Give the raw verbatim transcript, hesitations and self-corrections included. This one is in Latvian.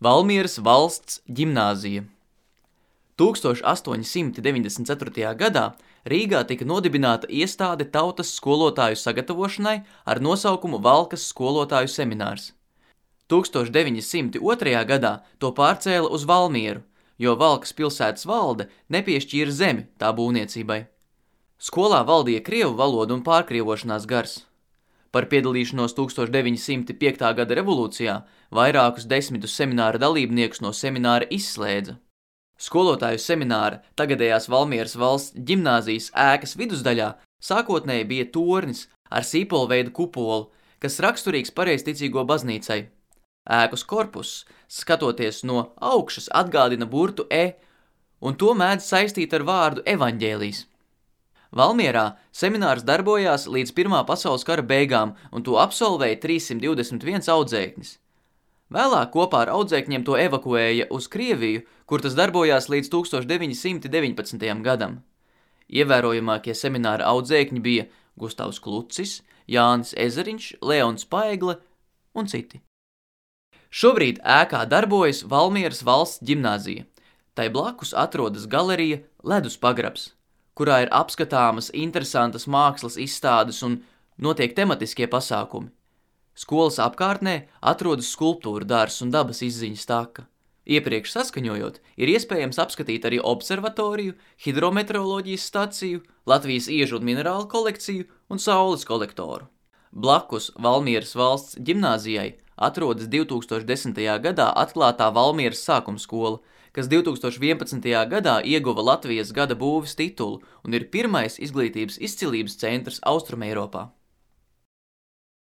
Valmieras valsts ģimnāzija. tūkstoš astoņi simti deviņdesmit ceturtajā gadā Rīgā tika nodibināta iestāde tautas skolotāju sagatavošanai ar nosaukumu Valkas skolotāju seminārs. tūkstoš deviņi simti otrajā gadā to pārcēla uz Valmieru, jo Valkas pilsētas valde nepiešķīra zemi tā būvniecībai. Skolā valdīja krievu valoda un pārkrievošanās gars. Par piedalīšanos tūkstoš deviņi simti piektajā gada revolūcijā vairākus desmitus semināra dalībniekus no semināra izslēdza. Skolotāju semināra tagadējās Valmieras valsts ģimnāzijas ēkas vidusdaļā sākotnēji bija tornis ar sīpolveidu kupolu, kas raksturīgs pareizticīgo baznīcai. Ēkas korpuss, skatoties no augšas, atgādina burtu E, un to mēdz saistīt ar vārdu evaņģēlijs. Valmierā seminārs darbojās līdz Pirmā pasaules kara beigām, un to absolvēja trīssimt divdesmit viens audzēknis. Vēlāk kopā ar audzēkņiem to evakuēja uz Krieviju, kur tas darbojās līdz tūkstoš deviņi simti deviņpadsmitajam gadam. Ievērojamākie semināra audzēkņi bija Gustavs Klucis, Jānis Ezeriņš, Leons Paigle un citi. Šobrīd ēkā darbojas Valmieras valsts ģimnāzija. Tai blakus atrodas galerija Ledus pagrabs, kurā ir apskatāmas interesantas mākslas izstādes un notiek tematiskie pasākumi. Skolas apkārtnē atrodas skulptūra dārzs un dabas izziņas taka. Iepriekš saskaņojot, ir iespējams apskatīt arī observatoriju, hidrometeoroloģijas staciju, Latvijas iežu un minerālu kolekciju un saules kolektoru. Blakus Valmieras valsts ģimnāzijai atrodas divi tūkstoši desmitajā gadā atklātā Valmieras sākumskola, kas divi tūkstoši vienpadsmitajā gadā ieguva Latvijas gada būves titulu un ir pirmais izglītības izcilības centrs Austrumeiropā.